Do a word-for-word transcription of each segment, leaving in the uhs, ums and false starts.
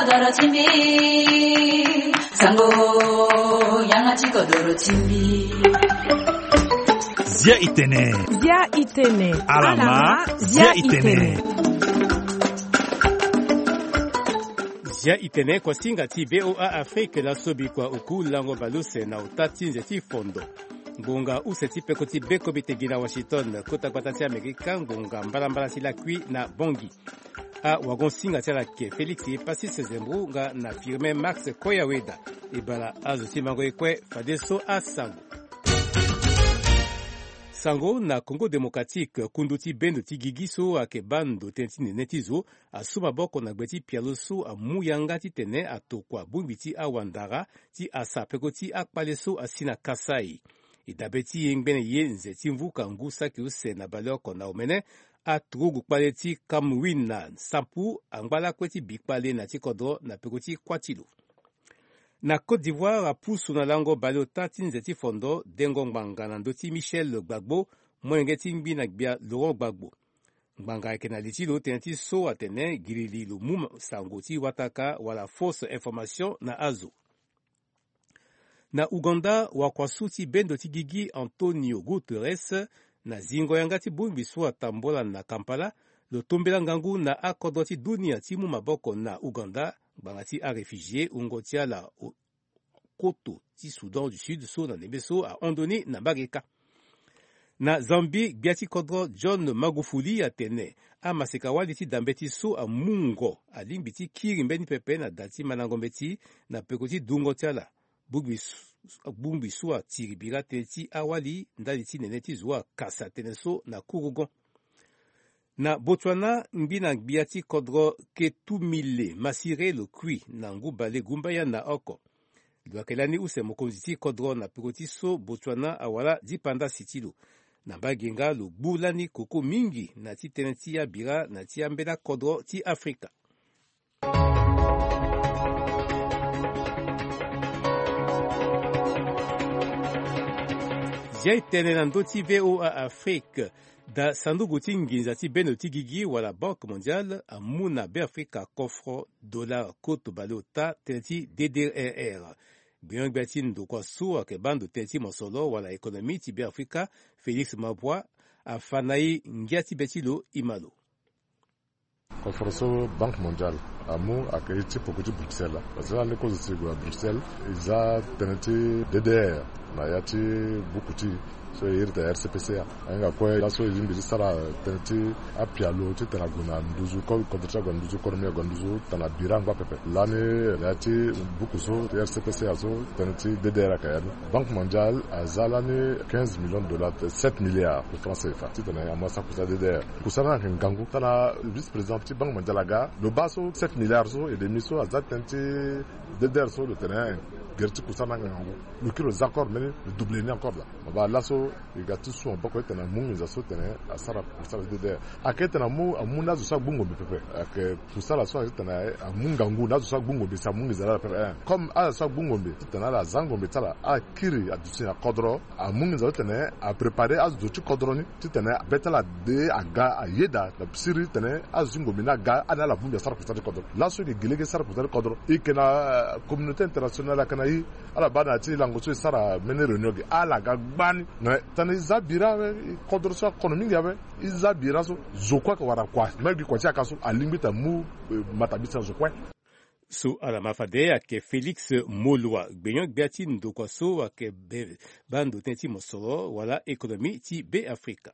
Doro ti mbi, sango, yanga ti kodoro ti mbi. Zia itene. Zia itene. Alama, zia itene. Zia itene, kuasinga ti V O A Afrique, laso bikua oku lango baleuse na ota ti nze ti fondo. Ngonga use ti peko ti beko bi tegi na Washington, kota gbata ti Amerika, ngonga mbalambala ti lakui na Bangui. Awagon-singa ti ala ke Félix Passy Sezembou nga na Firmin Max Koyaweda. E bala azo ti mango ye kue fadeso asango. Sango na Congo Démocratique, kundu ti bendo ti gigi so ayeke baa ndo tënë ti nene ti zo asu maboko na gbe ti pialo so amu yanga titene atokua bongbi ti awandara ti asa peko ti akpale so asi na Kasaï. E dabe ti yengbene ye nze ti mvuka ngu saki use na baleoko na omene, aturugu kpale ti Cameroun na Sampu angba lakue ti bi kpale na ti kodro na peko ti kuâ ti lo. Na Côte d'Ivoire, apusu na lango baleota ti nze ti fondo dengo ngbanga na ndö ti Michel Gbagbo, molenge ti ngbi na gbia Laurent Gbagbo. Ngbanga ayeke na li ti lo tënë ti so atene girili lo mu sango ti wataka wala fausse information na azo. Na Ouganda, wakuasu ti bendo ti gigi Antonio Guterres, na zingo yanga ti bongbi so atambola na Kampala, lo tombela ngangu na akodro ti dunia ti mu maboko na Ouganda ngbanga ti aréfugié wungo ti ala o-, koto ti Soudan du Sud so na ndembe so ahon ndo ni na mbage kâ. Na Zambie, gbia ti kodro John Magufuli atene amaseka-wali ti dambe ti so amungo alingbi ti kiri mbeni pepe na da ti mandango mbeti na peko ti dungo ti ala. Bongbi su-, bongbi so atiri bira tënë ti awali ndali ti nene ti zo akasa tënë so na kurugon. Na Botswana, ngbi na gbia ti kodro Ketumile Masire lo kui na ngu bale gumbaya na oko. Lo yeke lani use mokonzi ti kodro na peko ti so Botswana awara dipandasi ti lo. Na mbage nga lo gbu lani koko mingi na ti tënë ti abira na ti ambela kodro ti Afrika. Zia e tene na ndö ti V O A Afrique. Da sanduku ti nginza ti bendo ti gigi wala Banque Mondiale amu na Beafrika kofro dollar koto baleota tënë ti D D R R. Gbenyo-gbia ti ndokua so ayeke baa ndo tënë ti mosolo wala économie ti Beafrika, Félix Mabwa, afa na e ngia ti be ti lo e ma lo. Kofro so Banque Mondiale amu ayeke ye ti poko ti Bruxelles. Parce que lani kozo si e gue na Bruxelles, e za tënë ti D D R na ya ti buku ti e so e iri tene R C P C A. Ahinga kue laso e lingbi ti sara tënë ti apialo titene ague na nduzu ko-, kodro ti ague na nduzu, konomi ague na nduzu titene abira angba pepe. Lani na ya ti buku so ti R C P C A so tënë ti D D R ayeke ya ni. Banque Mondiale aza lani quinze millions de dollars, sept milliards de francs C F A titene amu asara kusala D D R. Kusala ni ayeke ngangu. Tana vice-président ti Banque Mondiale aga, lo baa so sept milliards so et demi so aza tënë ti D D R so lo tene gere ti kusala ni ayeke ngangu. Lo kiri lo za accord mbeni, lo double ni encore laa. Mo baa laso e ga ti su maboko titene amu nginza so titene asara kusala D D R. Ayeke titene amu, amu na azo so agbu ngombe pepe. Ayeke kusala so ayeke titene amu ngangu na azo so agbu ngombe si amu nginza laa pepe. Comme azo so agbu ngombe titene ala za ngombe ti ala, ala kiri aduti na kodro, amu nginza so titene apréparer azo ti kodro ni titene be ti ala de aga ayeda na siriri titene azo ti ngombe ni aga, ande ala bongbi asara kusala ti kodro. Laso e yeke gi lege ti sara kusala ti kodro, e yeke na, euh, communauté internationale ayeke na e. Ala baa na ya ti lango so e sara mbeni réunion ge, ala ga gbani. Mais titene e za bira awe, e kodro so akono mingi awe, e za bira so, zo kue ayeke wara kua, même gi kua ti yaka so alingbi titene amu, euh, matabisa zo kue. So ala ma fade ayeke Félix Moloi, gbenyo-gbia ti ndokua so ayeke be-, baa ndo tënë ti mosoro wala économie ti Beafrika.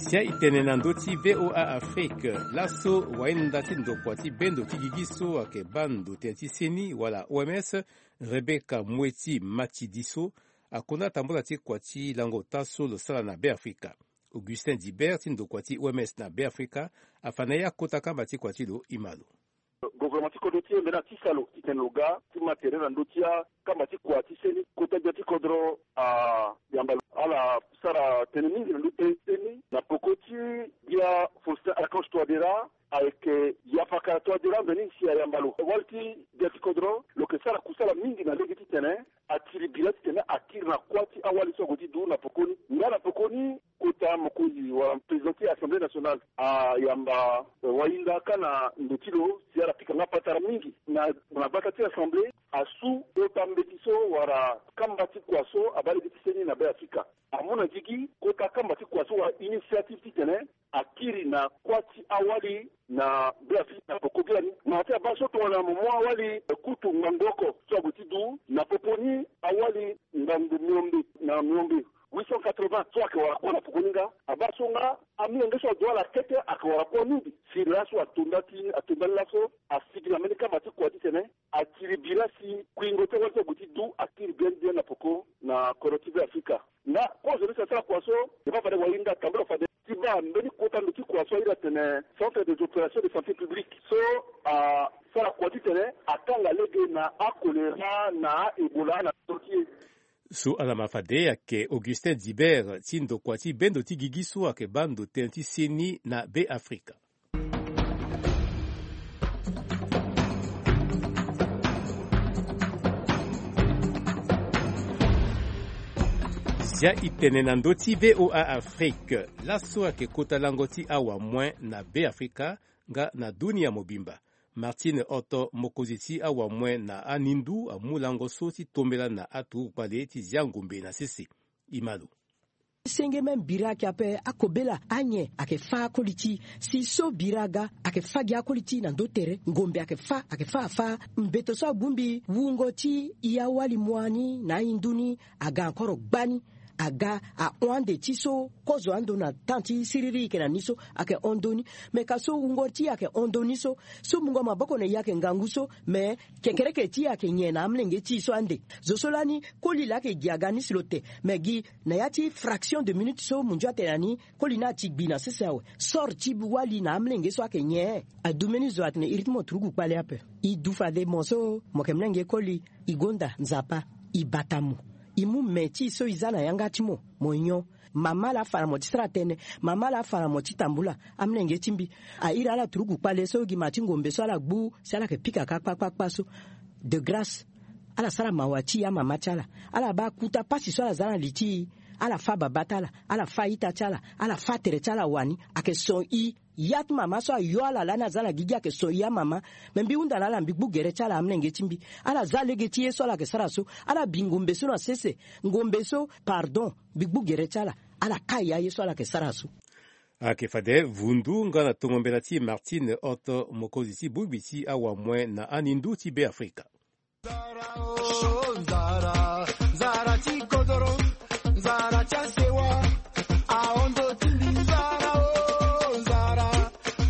Zia e tene na ndö ti V O A Afrique, laso wainda ti ndokua ti bendo ti gigi so ayeke baa ndo tënë ti seni wala O M S, Rebecca Mweti Matidiso, akonda tambula ti kua ti lango ota so lo sara na Beafrika. Augustin Dibert ti ndokua ti O M S na Beafrika afa na e akota kamba ti kua ti lo, e ma lo. Gouvernement ti kodro ti e mbeni ati salo titene lo ga ti ma tere na ndö ti akamba ti kua ti seni. Kota gbia ti kodro ayamba lo. Ala sara tënë mingi na ndö ti seni na peko ti gbia Faustin Archange Touadéra. Ayeke Yafaka Touadéra mbeni si ayamba lo. Wali ti gbia ti kodro lo yeke sara kusala mingi na lege titene atiri bira titene Akiri na kuâ ti awali so ague ti du na pokoni. Nga na pokoni, kota mokonzi wala président ti Assemblée nationale ayamba wahinda kâ na ndo ti lo si ala pika nga patara mingi na, na bata ti Assemblée. Asu kota mbeti so wala kamba ti kua so abaa lege ti seni na Beafrika. Amu na gigi kota kamba ti kua so wala initiative titene akiri na kuâ ti awali na Beafrika na poko gi lani. Mara ti abaa so tongana mo mu awali kutu ngangu oko so ague ti du na popo ni awali ngangu miombe na miombe, huit cent quatre-vingts, so ayeke wara kuâ na poko ni nga. Abaa so nga amolenge so adu ala kete ayeke wara kuâ mingi. Si laso atonda ti, atonda ni laso, asigi na mbeni kamba ti kua titene akiri bira si kuingo ti awali so ague ti du akiri bien bien na poko na kodro ti Beafrika. Nga kozo ni si asara kua so, e baa fade wahinda tambula fade ti baa mbeni kota ndo ti kua so airi atene Centre des opérations de santé publique so asara kua titene akanga lege na akolera na a-Ebola na ndo ti e. So ala ma fade ayeke Augustin Dibert ti ndokua ti bendo ti gigi so ayeke baa ndo tënë ti seni na Beafrika. Zia e tene na ndö ti V O A Afrique. Laso ayeke kota lango ti awamue na Beafrika nga na dunia mobimba. Martine Otto, mokonzi ti awamue na anindu, amu lango so ti tombela na aturugu kpale ti zia ngombe na sese. E ma lo. Senge même bira ayeke ape, akobela anyen ayeke fâ akoli ti e. Si so bira aga, ayeke fâ gi akoli ti e na ndö tere. Ngombe ayeke fâ, ayeke fâ afâ. Mbeto so abongbi wungo ti e awali mua ni na ahindu ni aga encore gbani. Aga ahon ande ti so kozo ando na temps ti siriri e yeke na ni so ayeke hon ndö ni. Me ka so wungo ti e ayeke hon ndö ni so, so mungo maboko na e ayeke ngangu so, me kekereke ti e ayeke nyen na amolenge ti e so ande. Zo so lani koli laa ayeke gi aga ni si lo te. Me gi na ya ti fraction de minute so munzu atene na ni, koli ni ati gbi na sese awe. Sort ti wali na amolenge so ayeke nyen? Adu mbeni zo atene iri ti mo turugu kpale ape. E du fade mo so mo yeke molenge koli, e gonda Nzapa, e bata mo. E mu me ti e so e za na yanga ti mo, mo nyon. Mama laa afa na mo ti sara tënë. Mama laa afa na mo ti tambula. Amolenge ti mbi, a iri ala turugu kpale so gi ma ti ngombe so ala gbu si ala yeke pika kâ kpakpakpa so. De grâce, ala sara mawa ti e amama ti ala. Ala baa kota pasi so ala za na li ti e. Ala fâ babâ ti ala, ala fâ a-ita ti ala, ala fâ tere ti ala wani. Ayeke son e. Ya ti mama so ayo ala lani aza na gigi ayeke son e amama. Me mbi hunda na ala, mbi gbu gere ti ala amolenge ti mbi. Ala za lege ti ye so ala yeke sara so. Ala bi ngombe so na sese. Ngombe so, pardon, mbi gbu gere ti ala. Ala kai aye so ala yeke sara so. Ayeke fade vundu nga na tongo mbela ti Martine Otto, mokonzi ti bongbi ti awamue na anindu ti Beafrika. Nzara, oh, nzara, nzara ti kodoro, nzara ti asewa, ahondo ti mbi nzara, oh, nzara,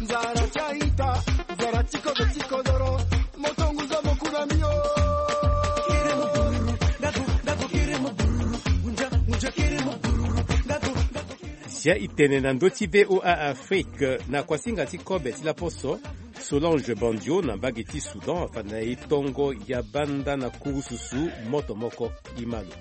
nzara ti a-ita, nzara ti kodro ti kodoro, moto ngu zo mo ku na mbi, oh. Zia e tene na ndö ti V O A Afrique na kuasinga ti kobe ti laposo. Solange Bandio na mbage ti Soudan afa na e tongo ya banda na kurususu moto moko. E ma lo.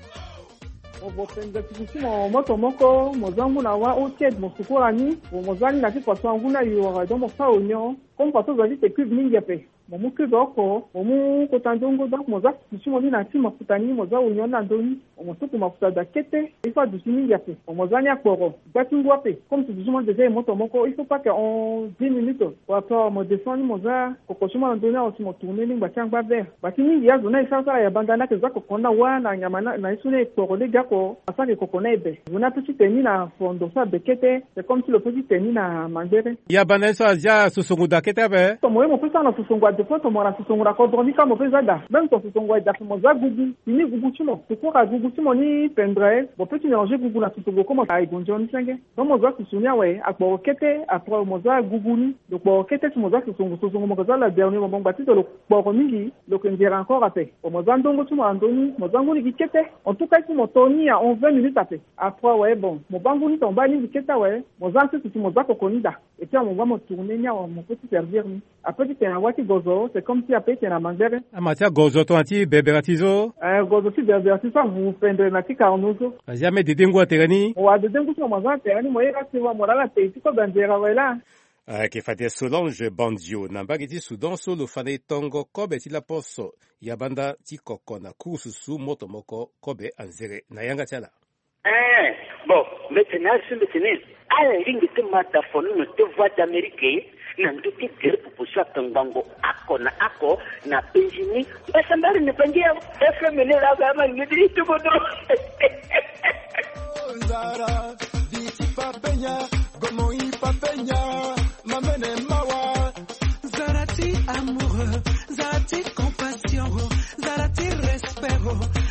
Mo vo pendre ti mo moto moko, mo za ngu na wâ ôtiede mo sukura ni. Mo za ni na ti kua so angu ni ayo wara, donc mo fâ onyon. Comme kua so za ti te cube mingi ape, mo mu cube oko, mo mu kota nzongo, donc mo za susu ti mo ni na ti mafuta ni, mo za onyon ni na ndö ni. Mo tuku mafuta daa kete, il faut aduti mingi ape. Mo za ni akporo, gba ti ngu ape. Comme si duti mo déjà e moto moko, il faut pas que en dix minutes. Wala après mo descend ni, mo za koko ti mo na ndö ni awe si mo tourner ni ngba ti angba vert. Ngba ti mingi azo ni aye sara sara ya banda ni ayeke za koko ni na wâ na nyama na, na ye so ni e kporo lege oko, asara ke koko ni aye be. Zo ni ape ti te ni na fondo so abe kete, c'est comme si lo pe ti te ni na mangbere. Ya banda ni so azia sosongo daa kete ape? Tomo ye mo pe sara na sosongo ade fois, tomo na sosongo na kodro ni kâ mo pe za daa. Même ton sosongo aye daa, mo za gugu. Fini gugu ti mo, sukura gugu ti mo ni pendre. Mo pe ti mélanger gugu na sosongo, comme aye gonzo ni senge. Donc mo za susu ni awe, akporo kete, après mo za gugu ni. Lo kporo kete si mo za sosongo, sosongo mo ke za la dernier moment, ngba ti lo kporo mingi, lo ke nzere encore ape. Bon, mo za ndongo ti mo na ndö ni, mo za ngu ni gi kete. En tout cas, si mo to ni ya en vingt minutes ape. Après awe, bon, mo baa ngu ni tonga baa ni gi kete awe, mo za nsusu si mo za koko ni daa. Et puis awe mo baa mo tourner ni awe, mo pe ti servir ni. Ape ti tene na wâ ti gozo, c'est comme si ape ti tene na mangbere. Ama ti agozo tongana ti berbere ti so? Eh, gozo ti berbere ti so avu pendre na ti karno so. Azia me dede ngu atere ni? Mo wa dede ngu ti mo, mo za na tere ni, mo ye ka sewa mo laa na tei ti kobe anzere awe laa. Ayeke fade Solange Bandio na mbage ti Soudan so lo fa na e tongo kobe ti laposo ya banda ti koko na kurususu moto moko kobe anzere na yanga ti ala. Eh, bon, mbete na asu mbete ni. Ala lingbi ti ma da fonono ti Voix d'Amérique na ndö ti gere popo so atongbango oko na oko na penzi ni. Mbasambari ni bangi ya F M ni la ga ma ngidi ti bodo. Zara, di ti papenya, gomo i papenya, mamene mawa. Zara ti amoureux, zara ti compassion, zara ti respect,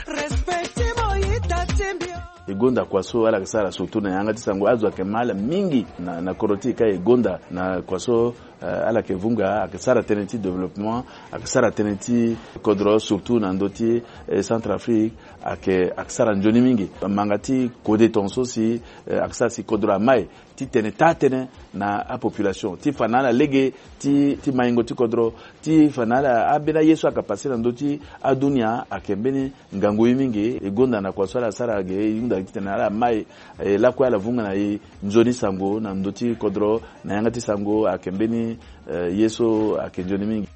respect ti mo i ta ti mbio. E gonda kua so ala yeke sara surtout na yanga ti sango, azo ayeke ma ala mingi na, na kodro ti e ka e gonda na kua so, eh, ala yeke vunga, ayeke sara tënë ti développement, ayeke sara tënë ti kodro surtout na ndö ti, eh, Centrafrique, ayeke, ayeke sara nzoni mingi. Manga ti kode tongaso si, eh, ayeke sara si kodro amai ti tene taa-tënë na apopulation, ti fa na ala lege ti, ti maingo ti kodro, ti fa na ala ambeni aye so ayeke pase na ndö ti adunia ayeke mbeni ngangu ye mingi. E gonda na kua so ala sara ge, e hunda gi titene ala mai, eh, lakue ala vunga na e nzoni sango na ndö ti kodro, na yanga ti sango ayeke mbeni, eh, ye so ayeke nzoni mingi.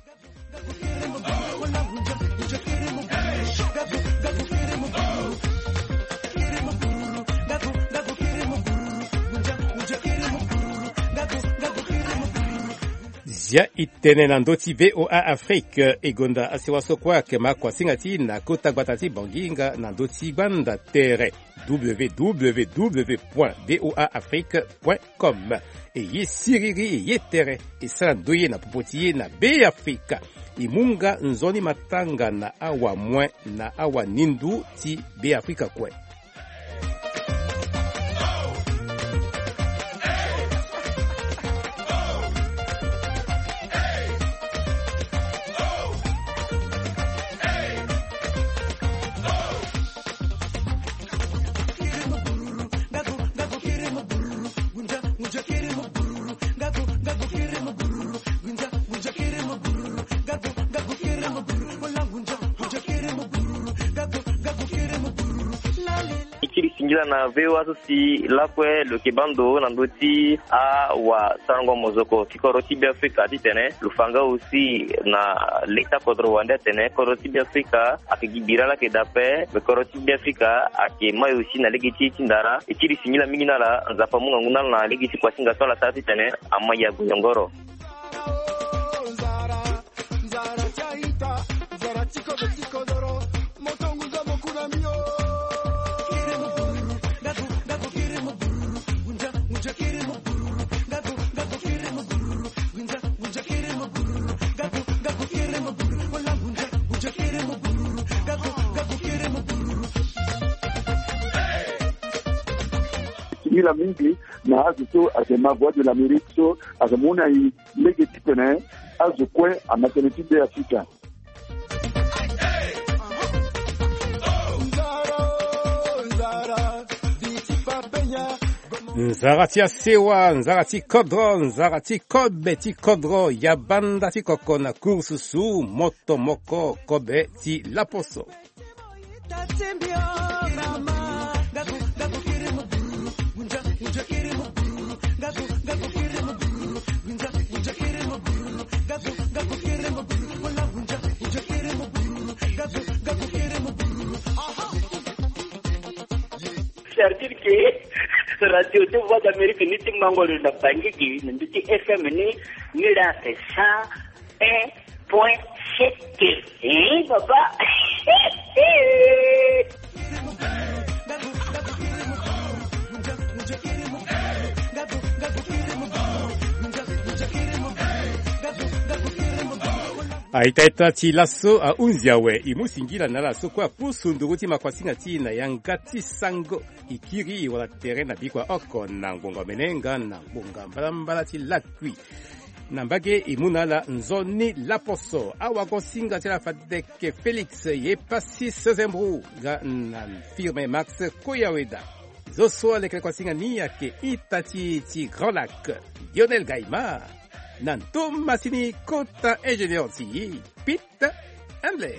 Zia e tene na ndö ti V O A Afrique, e gonda asewa so kue ayeke ma kuasinga ti e na kota gbata ti Bangui nga na ndö ti gbanda tere W W W point V O A Afrique point com. E ye siriri, e ye tere, e sara ndoye na popo ti e na Beafrika. E mu nga nzoni matanga na awamue na awanindu ti Beafrika kue. E kiri singila na V O A so si lakue lo yeke baa ndo na ndö ti awasarango mozoko ti kodro ti Beafrika titene lo fa nga aussi na leta kodro wande atene kodro ti Beafrika ayeke gi bira laa ayeke daa ape, me kodro ti Beafrika ayeke mai aussi na lege ti e ti ndara. E kiri singila mingi na ala, Nzapa amu ngangu na ala na lege ti kuasinga so ala sara titene amai ague yongoro. Singila mingi na azo so ayeke ma Voix de l'Amérique so ayeke mu na e lege titene azo kue ama tënë ti Beafrika. Nzara ti asewa, nzara ti kodro, nzara ti kobe ti kodro, ya banda ti koko na kurususu, moto moko kobe ti laposo. C'est-à-dire que radio ti Voix d'Amérique ni ti mango lo na Bangui gi na ndö ti F M ni, ni la c'est cent un point sept. Hein, papa. A-ita-ita ti laso ahunzi awe, e mu singila na ala so kue apusu nduru ti makuasinga ti e na yanga ti sango. E kiri e wara tere na bikua oko na ngbonga omene nga na ngbonga mbalambala ti lakui. Na mbage e mu na ala nzoni laposo, awagosinga ti ala fade yeke Félix Yepassi Sezembru nga na firme Max Koyaweda. Zo so alekere kuasinga ni ayeke ita ti e ti Grand Lac, Lionel Gaïma. Na ndo masini kota ingénieur ti e, Pete Handley.